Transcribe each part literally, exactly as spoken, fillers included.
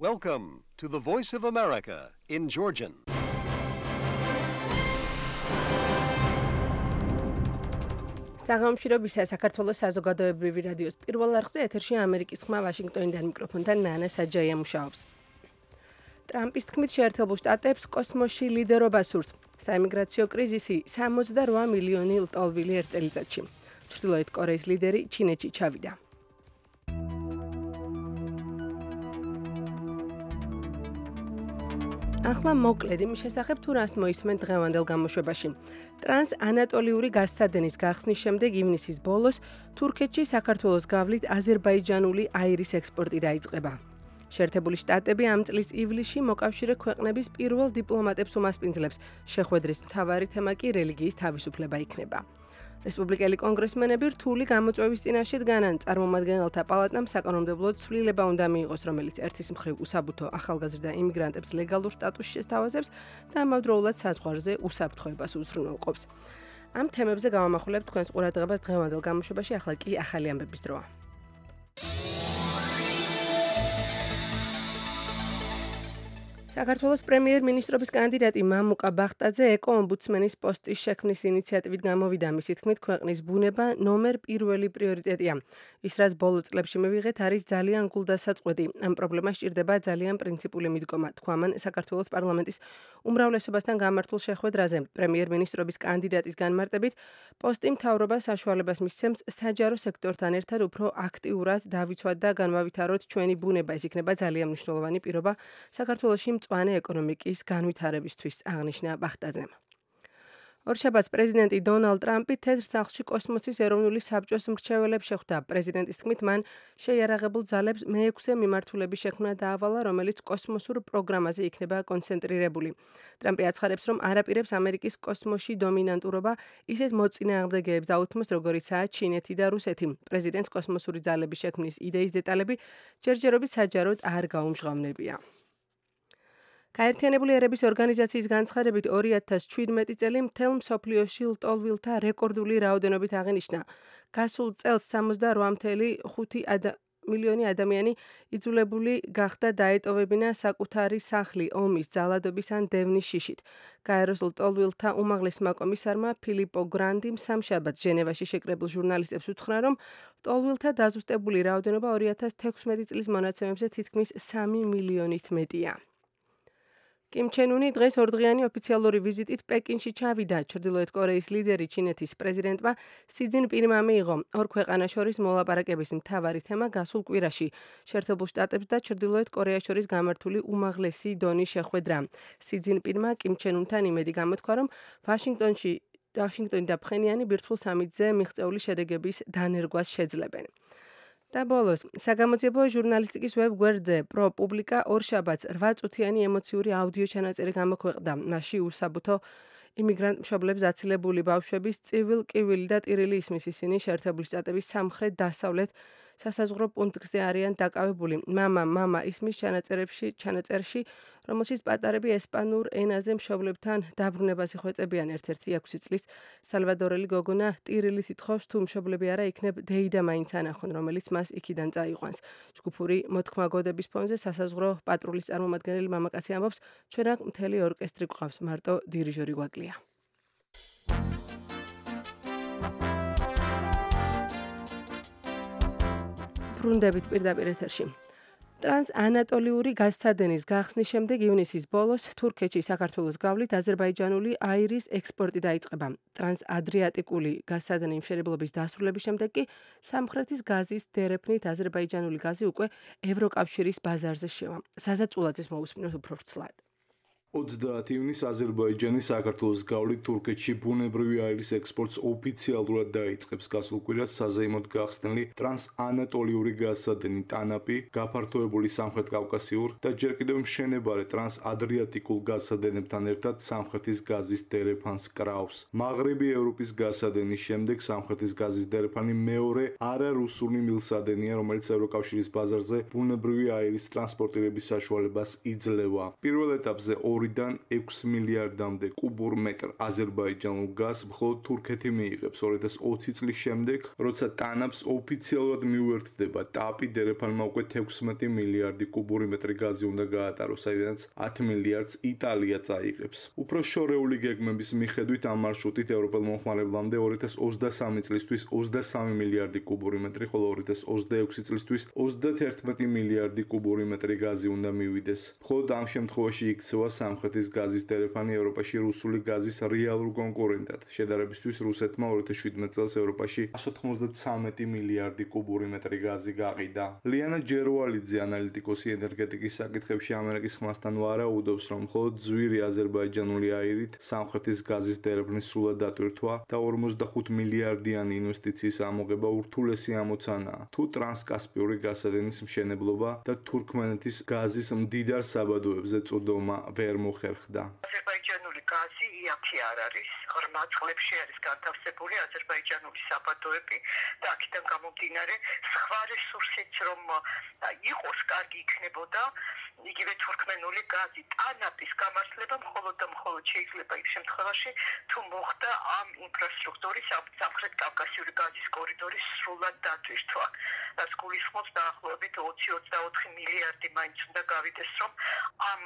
Welcome to the Voice of America in Georgian. საღამოშრობისა საქართველოს საზოგადოებრივი რადიოს პირველ არხზე ეთერში ამერიკის ხმა ვაშინგტონიდან მიკროფონთან ნანა საჯაია მუშაობს. ტრამპის თქმით შეერთებულ შტატებს კოსმოსში ლიდერობა სურს. საიმიგრაციო კრიზისი სამოცდაოთხ მილიონი ლტოლვილი ერთ წელიწადში. ჩრდილოეთ კორეის ლიდერი ჩინეთში ჩავიდა. ახლა მოკლედ იმის შესახებ თუ რას მოისმენთ დღევანდელ გამოშვებაში. ტრანს ანატოლიური გაზსადენის გახსნის შემდეგ ივნისის ბოლოს თურქეთში საქართველოს გავლით აზერბაიჯანული აირის ექსპორტი დაიწყება. შეერთებული შტატები ამ წლის ივლისში მოკავშირე ქვეყნების პირველ დიპლომატებს უმასპინძლებს. შეხვედრის მთავარი თემა კი რელიგიის თავისუფლება იქნება. რესპუბლიკელი კონგრესმენები რთული გამოწვევის წინაშე დგანან. წარმომადგენელთა პალატამ საკანონმდებლო ცვლილება უნდა მიიღოს, რომელიც ერთის მხრივ უსაბუთო ახალგაზრდა იმიგრანტებს ლეგალურ სტატუსში შესთავაზებს და ამავდროულად საზღვარზე უსაფრთხოებას უზრუნველყოფს. ამ თემებზე გავამახვილებთ თქვენს ყურადღებას დღევანდელ გამოშვებაში, ახლა კი ახალი ამბების დროა. საქართველოს პრემიერ-მინისტრობის კანდიდატი მამუკა ბახტაძე ეკო-ომბუდსმენის პოსტის შექმნის ინიციატივით გამოვიდა. მისი თქმით, ქვეყნის ბუნება ნომერ პირველი პრიორიტეტია. ის, რაც ბოლო წლებში მივიღეთ, არის ძალიან გულდასაწყვეტი. ამ პრობლემას სჭირდება ძალიან პრინციპული მიდგომა, თქვა მან საქართველოს პარლამენტის უმრავლესობასთან გამართულ შეხვედრაზე. პრემიერ-მინისტრობის კანდიდატის განმარტებით, პოსტი მთავრობას საშუალებას მისცემს საჯარო სექტორთან ერთად უფრო აქტიურად დავიცვათ და განვავითაროთ ჩვენი ბუნება. ეს იქნება ძალიან მნიშვნელოვანი პირობა საქართველოში მწვანე ეკონომიკის განვითარებისთვის, აღნიშნა ბახტაძემ. ორშაბათს პრეზიდენტი დონალდ ტრამპი თეთრ სახლში კოსმოსის ეროვნული საბჭოს მრჩეველებს შეხვდა. პრეზიდენტის თქმით, მან შეიარაღებულ ძალებს მეექვსე მიმართულების შექმნა დაავალა, რომელიც კოსმოსურ პროგრამაზე იქნება კონცენტრირებული. ტრამპი აცხადებს, რომ არ აპირებს ამერიკის კოსმოსში დომინანტურობა ისეთ მოწინააღმდეგეებს დაუთმოს, როგორიცაა ჩინეთი და რუსეთი. პრეზიდენტს კოსმოსური ძალების შექმნის იდეის დეტალები ჯერჯერობით საჯაროდ არ გაუმჟღავნებია. გაერთიანებული ერების ორგანიზაციის განცხადებით ორი ათას შვიდმეტი წელი მთელ მსოფლიოში ლტოლვილთა რეკორდული რაოდენობით აღინიშნა. გასულ წელს სამოცდაოთხ целых ხუთი მილიონი ადამიანი იძულებული გახდა დაეტოვებინა საკუთარი სახლი ომის, ძალადობის ან დევნის შიშით. გაეროს ლტოლვილთა უმაღლესმა კომისარმა ფილიპო გრანდიმ სამშაბათს ჟენევაში შეკრებილ ჟურნალისტებს უთხრა, რომ ლტოლვილთა დაზუსტებული რაოდენობა ორი ათას თექვსმეტი წლის მონაცემებზე თითქმის სამი მილიონით მეტია. კიმ ჩენ უნი დღეს ორდღიანი ოფიციალური ვიზიტით პეკინში ჩავიდა. ჩრდილოეთ კორეის ლიდერი ჩინეთის პრეზიდენტმა სი ძინპინმა მიიღო. ორ ქვეყანას შორის მოლაპარაკების მთავარი თემა გასულ კვირაში შეერთებულ შტატებს და ჩრდილოეთ კორეას შორის გამართული უმაღლესი დონის შეხვედრა. სი ძინპინმა კიმ ჩენ უნთან იმედი გამოთქვა, რომ ვაშინგტონში ვაშინგტონი და ფხენიანი ბირთვულ სამიტზე მიღწეული შედეგების დანერგვას შეძლებენ. და ბოლოს, საგამოძიებო ჟურნალისტიკის ვებ-გვერდზე პროპუბლიკა ორშაბათს რვა წუთიანი ემოციური აუდიო ჩანაწერი გამოქვეყნდა. მასში უსაბუთო იმიგრანტ მშობლებს აცილებული ბავშვების წივილ, კივილი და ტირილი ისმის. ისინი შეერთებული შტატების სამხრეთ-დასავლეთ სასაზღვრო პუნქტზე არიან დაკავებული. მამა, მამა ისმის ჩანაწერებში, ჩანაწერში, რომელშიც პატარები ესპანურ ენაზე მშობლებთან დაბრუნებას იხვეწებიან. ერთ-ერთი ექვსი წლის სალვადორელი გოგონა ტირილით ითხოვს, თუ მშობლები არა იქნებ დეიდა მაინც ანახონ, რომელიც მას იქიდან წაიყვანს. ჯგუფური მოთქმაგოდების ფონზე სასაზღვრო პატრულის წარმომადგენელი მამაკაცი ამბობს, ჩვენ აქ მთელი ორკესტრი გვყავს, მარტო დირიჟორი გვაკლია. ბრუნდებით პირდაპირ ეთერში. ტრანს ანატოლიური გაზსადენის გახსნის შემდეგ ივნისის ბოლოს თურქეთში საქართველოს გავლით აზერბაიჯანული აირის ექსპორტი დაიწყება. ტრანს ადრიატიკული გაზსადენი მშენებლობის დასრულების შემდეგ კი სამხრეთის გაზის დერეფნით აზერბაიჯანული გაზი უკვე ევროკავშირის ბაზარზე შევა. საზაწულაძეს მოусმინოთ უფრო ვრცლად. ოცდაათი ივნისს აზერბაიჯანი საქართველოს გავლით თურქეთში ბუნებრივი აირის ექსპორტს ოფიციალურად დაიწყებს. გასულ კვირას საზეიმოდ გახსნილი ტრანსანატოლიური გაზსადენი ტანაპი, გაფართოებული სამხრეთ კავკასიურ და ჯერ კიდევ მშენებარე ტრანსადრიატიკულ გაზსადენებთან ერთად სამხრეთის გაზის დერეფანს კრავს. მაღრიბი ევროპის გაზსადენის შემდეგ სამხრეთის გაზის დერეფანი მეორე არარუსული მილსადენია, რომელიც ევროკავშირის ბაზარზე ბუნებრივი აირის ტრანსპორტირების საშუალებას იძლევა. პირველ ეტაპზე ორ ორიდან ექვსი მილიარდამდე კუბურ მეტრ აზერბაიჯანულ გაზს მხოლოდ თურქეთი მიიღებს ორი ათას ოცი წლის შემდეგ, როცა ტანაფს ოფიციალურად მიუერთდება ტაპი, დერეფანმა უკვე თექვსმეტი მილიარდი კუბური მეტრი გაზი უნდა გაატაროს, საიდანაც ათი მილიარდს იტალია წაიღებს. უფრო შორეული გეგმების მიხედვით ამ მარშრუტით ევროპელ მომხმარებლამდე ორი ათას ოცდასამი წლისთვის ოცდასამი მილიარდი კუბური მეტრი, ხოლო ორი ათას ოცდაექვსი წლისთვის ოცდათერთმეტი მილიარდი კუბური მეტრი გაზი უნდა მივიდეს. მხოლოდ ამ შემთხვევაში იქცევა სამხრეთის გაზის დერეფანი ევროპაში რუსული გაზის რეალურ კონკურენტად. შედარებისთვის რუსეთმა ორი ათას შვიდმეტ წელს ევროპაში εκατს ოცდამოცდამეტი მილიარდი კუბური მეტრი გაზი გაყიდა. ლიანა ჯერვალიძე, ანალიტიკოსი ენერგეტიკის საკითხებში ამერიკის ხმასთან ვარაუდობს, რომ მხოლოდ ძვირი აზერბაიჯანული აირით სამხრეთის გაზის დერეფნის სრულად დატვირთვა და ორმოცდახუთ მილიარდიანი ინვესტიციის ამოღება ურთულესი ამოცანაა. თუ ტრანსკასპიური გასადენის მშენებლობა და თურქმენეთის გაზის მდიდარ საბადოებზე წოდომა ვერ მოხერხდა. აზერბაიჯანული გაზი იაფი არ არის, ღრმა წყლებში არის განთავსებული აზერბაიჯანული საბადოები და აქედან გამომდინარე სხვა რესურსიც რომ იყოს კარგი იქნებოდა, იგივე თურქმენული გაზი ტანაპის გამართლება მხოლოდ და მხოლოდ შეიძლება იმ შემთხვევაში, თუ მოხდა ამ ინფრასტრუქტურის სამხრეთ კავკასიური გაზის კორიდორის სრულად დატვირთვა. რაც გულისხმობს დაახლოებით ოცი ოცდაოთხი მილიარდი მაინც უნდა გავიდეს, რომ ამ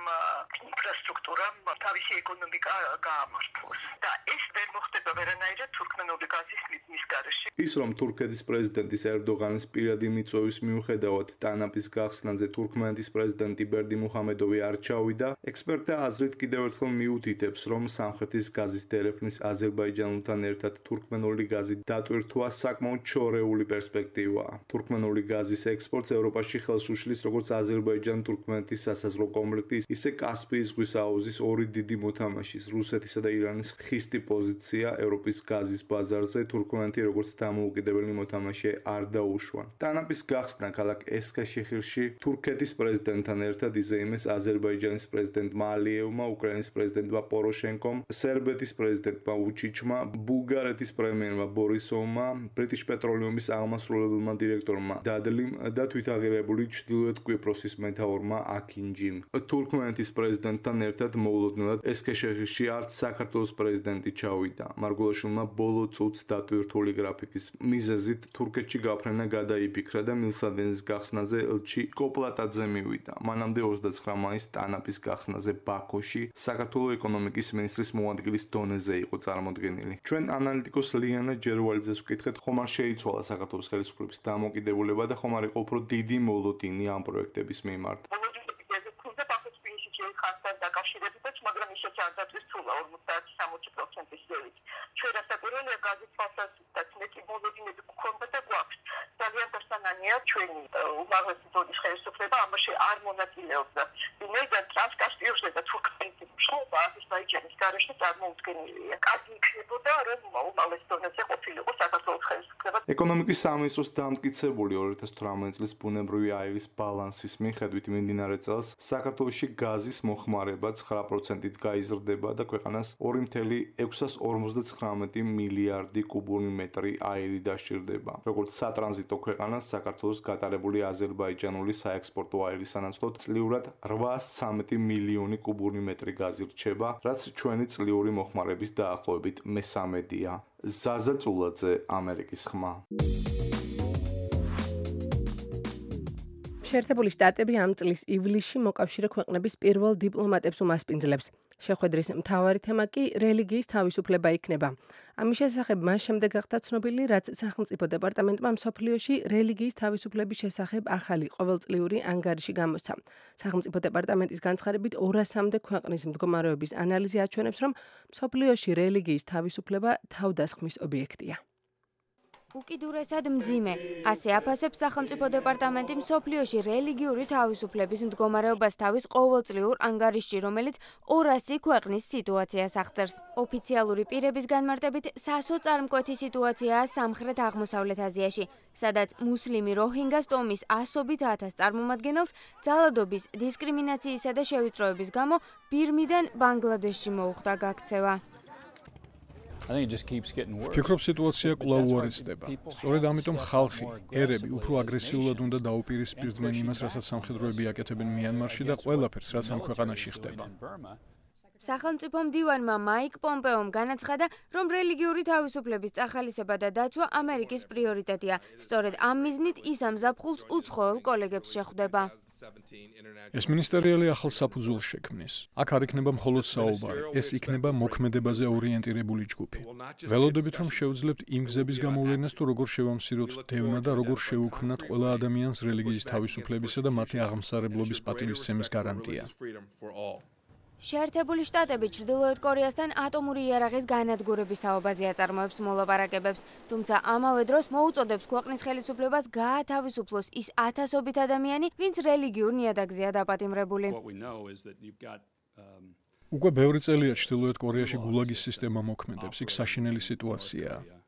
ინფრასტრუქტურამ თავისი ეკონომიკა გაამართლოს. და ეს ვერ მოხდება ვერანაირად თურქმენული გაზის მიზნის გარეშე. ის, რომ თურქეთის პრეზიდენტის ერდოღანის პირადი მიწვევის მიუხედავად ტანაპის გახსნაზე თურქმენეთის პრეზიდენტი ბერდიმუჰამედოვი არ ჩავიდა, ექსპერტთა აზრით კიდევ ერთხელ მიუთითებს, რომ სამხრეთის გაზის დერეფნის აზერბაიჯანულთან ერთად თურქმენული გაზი დატვირთვა საკმაოდ შორეული პერსპექტივაა. თურქმენული გაზის ექსპორტს ევროპაში ხელს უშლის როგორც აზერბაიჯან-თურქმენეთის სასაზღვრო კონფლიქტი, ისე კასპიის ზღვის აუზის ორი დიდი მოთამაშის, რუსეთისა და ირანის ხისტი პოზიცია ევროპის გაზის ბაზარზე თურქმენეთი როგორც დამოუკიდებელი მოთამაშე არ დაუშვა. ტანაპის გახსნა ქალაქ ესქაშეჰირში თურქეთის პრეზიდენტთან ერთად იზეიმეს აზერბაიჯანის პრეზიდენტმა ალიევმა, უკრაინის პრეზიდენტმა პოროშენკომ, სერბეთის პრეზიდენტმა უჩიჩმა, ბულგარეთის პრემიერმა ბორისოვმა, ბრიტიშ პეტროლიუმის აღმასრულებელმა დირექტორმა დადლიმ და თვითაღირებული ჩრდილოეთ კვიპროსის მეთაურმა აკინჯიმ. თურქმენეთის პრეზიდენტთან ერთად მოულოდნელად ესქაშეჰირში არც საქართველოს პრეზიდენტი ჩავიდა. მარგულაშვილმა ბოლო წუთს დატვირთული გრაფიკის მიზეზით თურქეთში გაფრენა გადაიფიქრა და მილსადენის გახსნაზე ელჩი კოპლატაძე მივიდა. მანამდე ოცდაცხრა მაისს ტანაპის გახსნაზე ბაქოში საქართველოს ეკონომიკის მინისტრის მოადგილის დონეზე იყო წარმოდგენილი. ჩვენ ანალიტიკოს ლიანა ჯერვალიძეს ვკითხეთ, ხომ არ შეიცვალა საქართველოს ხელისუფლების დამოკიდებულება და ხომ არ იყო უფრო დიდი მოლოდინი ამ პროექტების მიმართ. დაკავშირებითაც, მაგრამ ისეც არ დატვირთულა ორმოცდაათი სამოცი პროცენტის ზევით. ჩვენ რასაკვირველია გაზის თვალსაზრისით მეტი მოლოდინები გვქონდა და გვაქვს. ძალიან დასანანია ჩვენი უმაღლესი დონის ხელისუფლება ამაში არ მონაწილეობდა. ვინაიდან ტრანსკასპიურზე და თურქმენეთის მშობა აზერბაიჯანის გარეშე წარმოუდგენელია. კარგი იქნებოდა, რომ უმაღლეს დონეზე ყოფილიყო საქართველოს ხელისუფლება. ეკონომიკის სამინისტროს დამტკიცებული ორი ათას თვრამეტ წლის ბუნებრივი აირის ბალანსის მიხედვით მიმდინარე წელს საქართველოში გაზის მოხმარება ცხრა პროცენტით გაიზრდება და ქვეყანას ორი ათეული ექვსას ორმოცდაცხრამეტი მილიარდი კუბური მეტრი აირი დასჭირდება. როგორც სატრანზიტო ქვეყანას საქართველოს გატარებული აზერბაიჯანული საექსპორტო აირის სანაცვლოდ წლიურად რვაას ცხრამეტი მილიონი კუბური მეტრი გაზი რჩება, რაც ჩვენი წლიური მოხმარების დაახლოებით მესამედია. ზაზა წულაძე, ამერიკის ხმა. შეერთებული შტატები ამ წლის ივლისში მოკავშირე ქვეყნების პირველ დიპლომატებს უმასპინძლებს. შეხვედრის მთავარი თემა კი რელიგიის თავისუფლება იქნება. ამის შესახებ მას შემდეგ გახდა ცნობილი, რაც სახელმწიფო დეპარტამენტმა მსოფლიოში რელიგიის თავისუფლების შესახებ ახალი ყოველწლიური ანგარიში გამოსცა. სახელმწიფო დეპარტამენტის განცხადებით ორასამდე ქვეყნის მდგომარეობის ანალიზი აჩვენებს, რომ მსოფლიოში რელიგიის თავისუფლება თავდასხმის ობიექტია. უკიდურესად მძიმე. ასე აფასებს სახელმწიფო დეპარტამენტი მსოფლიოში რელიგიური თავისუფლების მდგომარეობას თავის ყოველწლიურ ანგარიშში, რომელიც ორასი ქვეყნის სიტუაციას აღწერს. ოფიციალური პირების განმარტებით, სასოწარმკვეთი სიტუაციაა სამხრეთ აღმოსავლეთ აზიაში, სადაც მუსლიმი როჰინგას ტომის ასობით ათას წარმომადგენელს ძალადობის, დისკრიმინაციისა და შევიწროების გამო ბირმიდან ბანგლადეშში მოუხდა გაქცევა. ფიქრობ, სიტუაცია კვლავ უარესდება. სწორედ ამიტომ ხალხი, ერები უფრო აგრესიულად უნდა დაუპირისპირდნენ იმას, რასაც სამხედროები აკეთებენ მიანმარში და ყველაფერს, რაც ამ ქვეყანაში ხდება. სახელმწიფო მდივანმა მაიკ პომპეომ განაცხადა, რომ რელიგიური თავისუფლების წახალისება და დაცვა ამერიკის პრიორიტეტია. სწორედ ამ მიზნით ის ამ ზაფხულს უცხოელ კოლეგებს შეხვდება. ეს მინისტერიალი ახალ საფუძველს შექმნის. აქ არ იქნება მხოლოდ საუბარი, ეს იქნება მოქმედებაზე ორიენტირებული ჯგუფი. ველოდებით რომ შევძლებთ იმ გზების გამოვლენას თუ როგორ შევამციროთ დევნა და როგორ შევუქმნათ ყველა ადამიანს რელიგიის თავისუფლებისა და მათი აღმსარებლობის პატივისცემის გარანტია. შეერთებული შტატები ჩრდილოეთ კორეასთან ატომური იარაღის განადგურების თაობაზე აწარმოებს მოლაპარაკებებს, თუმცა ამავე დროს მოუწოდებს ქვეყნის ხელისუფლებას გაათავისუფლოს ის ათასობით ადამიანი, ვინც რელიგიურ ნიადაგზეა დაპატიმრებული. უკვე ბევრი წელია ჩრდილოეთ კორეაში გულაგის სისტემა მოქმედებს, იქ საშინელი სიტუაციაა.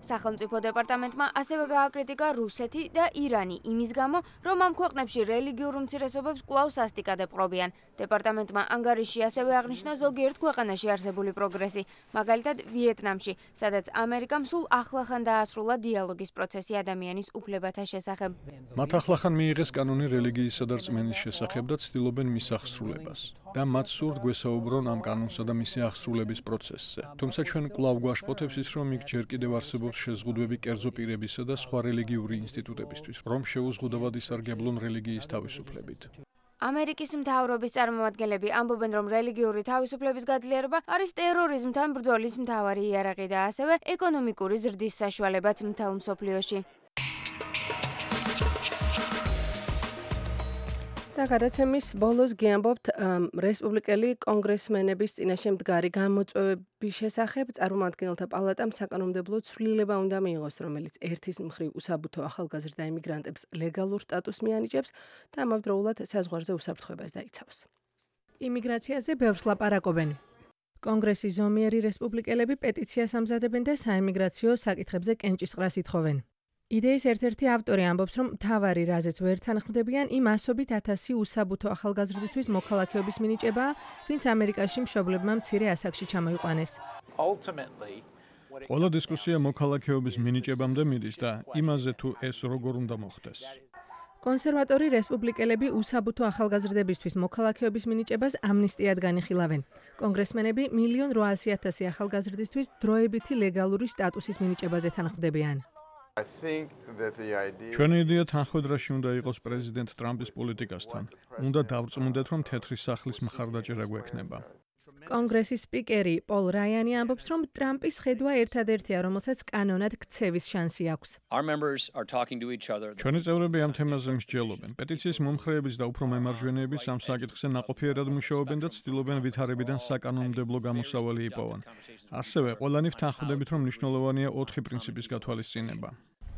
სახელმწიფო დეპარტამენტმა ასევე გააკრიტიკა რუსეთი და ირანი იმის გამო, რომ ამ ქვეყნებში რელიგიურ უმცირესობებს კვლავ სასტიკად ეპყრობიან. დეპარტამენტმა ანგარიში ასევე აღნიშნა ზოგიერთ ქვეყანაში არსებული პროგრესი, მაგალითად ვიეტნამში, სადაც ამერიკამ სულ ახლახან დაასრულა დიალოგის პროცესი ადამიანის უფლებათა შესახებ. მათ ახლახან მიიღეს კანონი რელიგიისა და რწმენის შესახებ და ცდილობენ მის აღსრულებას. და მათ სურთ გვესაუბრონ ამ კანონსა და მისი აღსრულების პროცესზე. თუმცა ჩვენ კვლავ გვაშფოთებს ის, რომ იქ ჯერ კიდევ არსებობს შეზღუდვები კერძო პირებისა და სხვა რელიგიური ინსტიტუტებისთვის, რომ შეუზღუდავად ისარგებლონ რელიგიის თავისუფლებით. ამერიკის მთავრობის წარმომადგენლები ამბობენ, რომ რელიგიური თავისუფლების გაძლიერება არის ტერორიზმთან ბრძოლის მთავარი იარაღი და ასევე ეკონომიკური ზრდის საშუალებაც მთელ მსოფლიოში. და გადაცემის ბოლოს გიამბობთ რესპუბლიკელი კონგრესმენების წინაშე მდგარი გამოწვევების შესახებ. წარმომადგენელთა პალატამ საკანონმდებლო ცვლილება უნდა მიიღოს, რომელიც ერთის მხრივ უსაბუთო ახალგაზრდა იმიგრანტებს ლეგალურ სტატუსს მიანიჭებს და ამავდროულად საზღვარზე უსაფრთხოებას დაიცავს. იმიგრაციაზე ბევრს ლაპარაკობენ. კონგრესის ზომიერი რესპუბლიკელები პეტიციას ამზადებენ და საიმიგრაციო საკითხებზე კენჭისყრას ითხოვენ. იდეის ერთ-ერთი ავტორი ამბობს, რომ მთავარი რაზეც ვერ თანხმდებიან იმ ასობით ათასი უსაბუთო ახალგაზრდისთვის მოქალაქეობის მინიჭებაა, ვინც ამერიკაში მშობლებმა მცირე ასაკში ჩამოიყვანეს. ყველა დისკუსია მოქალაქეობის მინიჭებამდე მიდის და იმაზე თუ ეს როგორ უნდა მოხდეს. კონსერვატორი რესპუბლიკელები უსაბუთო ახალგაზრდებისთვის მოქალაქეობის მინიჭებას ამნისტიად განიხილავენ. კონგრესმენები მილიონ რვაასი ათასი ახალგაზრდისთვის დროებითი ლეგალური სტატუსის მინიჭებაზე თანხმდებიან. ჩვენი იდეა თანხმედრაში უნდა იყოს პრეზიდენტ ტრამპის პოლიტიკასთან. უნდა დავწმუნდეთ, რომ თეთრი სახლის მხარდაჭერა გვექნება. კონგრესის სპიკერი პოლ რაიანი ამბობს, რომ ტრამპის ხედვა ერთადერთია, რომელსაც კანონად ქცევის შანსი აქვს. ჩვენი წევრები ამ თემაზე მსჯელობენ. პეტიციის მომხრეების და უფრო მემარჯვენეების ამ საკითხზე ნაყოფიერად მუშაობენ და ცდილობენ ვითარებიდან საკანონმდებლო გამოსავალი იპოვონ. ასევე ყველანი ვთანხმდებით, რომ მნიშვნელოვანია ოთხი პრინციპის გათვალისწინება.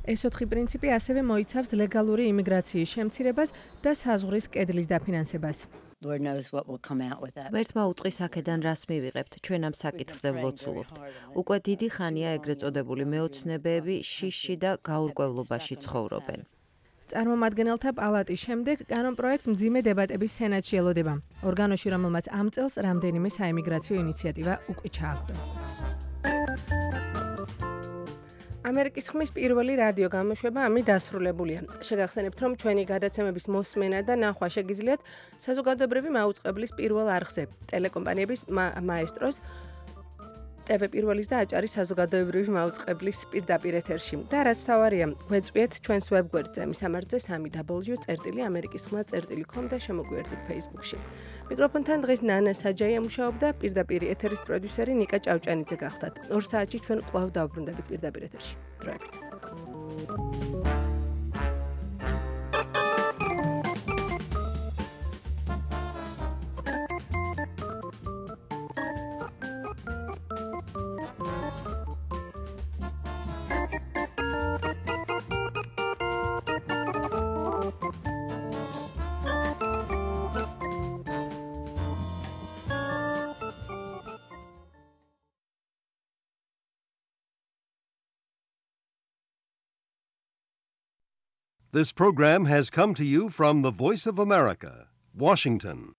ეს ოთხი პრინციპი ასევე მოიცავს ლეგალური იმიგრაციის შემცირებას და საზღვრის კედლის დაფინანსებას. ვერთმა უწყის აქედან რას მივიღებთ, ჩვენ ამ საკითხზე ვლოცულობთ. უკვე დიდი ხანია ეგრეთ წოდებული მეოცნებეები შიშში და გაურკვევლობაში ცხოვრობენ. წარმომადგენელთა პალატის შემდეგ კანონპროექტს მძიმე დებატების სენატში ელოდება. ორგანოში, რომელმაც ამ წელს რამდენიმე საიმიგრაციო ინიციატივა უკვე ჩააგდო. ამერიკის ხმის პირველი რადიო გამოშვება ამით დასრულებულია. შეგახსენებთ, რომ ჩვენი გადაცემების მოსმენა და ნახვა შეგიძლიათ საზოგადოებრივი მაუწყებლის პირველ არხზე, ტელეკომპანიების მაესტროს, ტევ პირველის და აჭარის საზოგადოებრივი მაუწყებლის პირდაპირ ეთერში. და რაც მთავარია, გვეწვიეთ ჩვენს ვებგვერდზე, მისამართზე სამი დაბლიუ წერტილი ამერიკის ხმა წერტილი კომ და შემოგვიერთდით Facebook-ში. მიკროფონთან დღეს ნანა საჯაია მუშაობდა, პირდაპირ ეთერის პროდიუსერი ნიკა ჭავჭანიძე გახდათ. ორ საათში ჩვენ კვლავ დავბრუნდებით პირდაპირ ეთერში. დროებით. This program has come to you from the Voice of America, Washington.